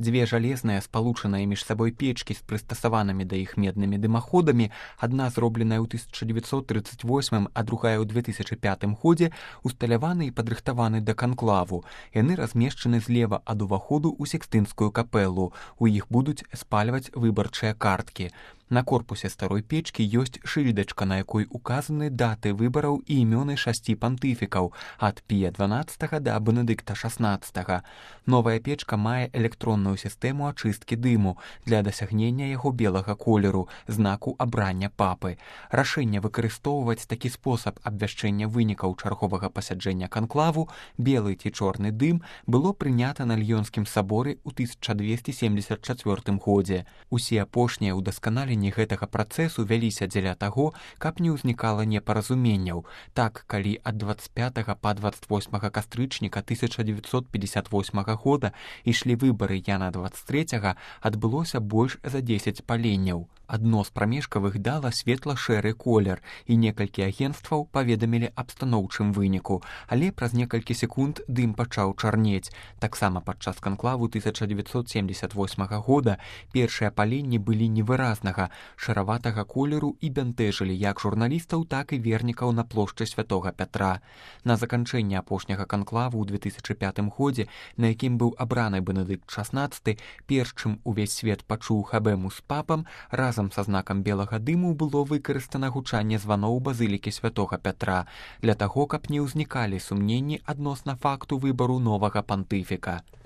Дзве жалезныя спалучаныя між сабой печкі з прыстасаванымі да іх меднымі дымаходамі, адна зробленая ў 1938, а другая ў 2005 годзе, усталяваны і падрыхтаваны да канклаву. Яны размешчаны злева ад уваходу ў Сікстынскую капэлу. У іх будуць спальваць выбарчыя карткі. На корпусе старой печкі ёсць шыльдачка, на якой указаны даты выбараў і імёны 6 пантыфікаў ад Пія XII да Бенедыкта XVI. Новая печка мае электронную сістэму ачысткі дыму для дасягнення яго белага колеру, знаку абрання папы. Рашэнне выкарыстоўваць такі спосаб абвяшчэння вынікаў чарговага пасяджэння канклаву, белы ці чорны дым, было прынята на Льёнскім саборы ў 1274 годзе. Усе апошнія ўдасканаленні гэтага працэсу вяліся дзеля таго, каб не ўзнікала непаразуменняў. Так, калі ад 25 па 28 кастрычніка 1958 года ішлі выбары Яна 23, адбылося больш за 10 паленняў. Адно з прамежкавых дала светла-шэры колер, і некалькі агенцтваў паведамілі аб станоўчым выніку, але праз некалькі секунд дым пачаў чарнець. Таксама падчас канклаву 1978 года першыя паленні былі невыразнага, шараватага колеру і бянтэжылі як журналістаў, так і вернікаў на плошчы Святога Пятра. На заканчэнне апошняга канклаву ў 2005 годзе, на якім быў абраны Бенедыкт XVI, перш чым увесь свет пачуў хабэму з папам, разам са знакам белага дыму было выкарыстана гучанне званоў базылікі Святога Пятра для таго, каб не ўзнікалі сумненні адносна факту выбару новага пантыфіка.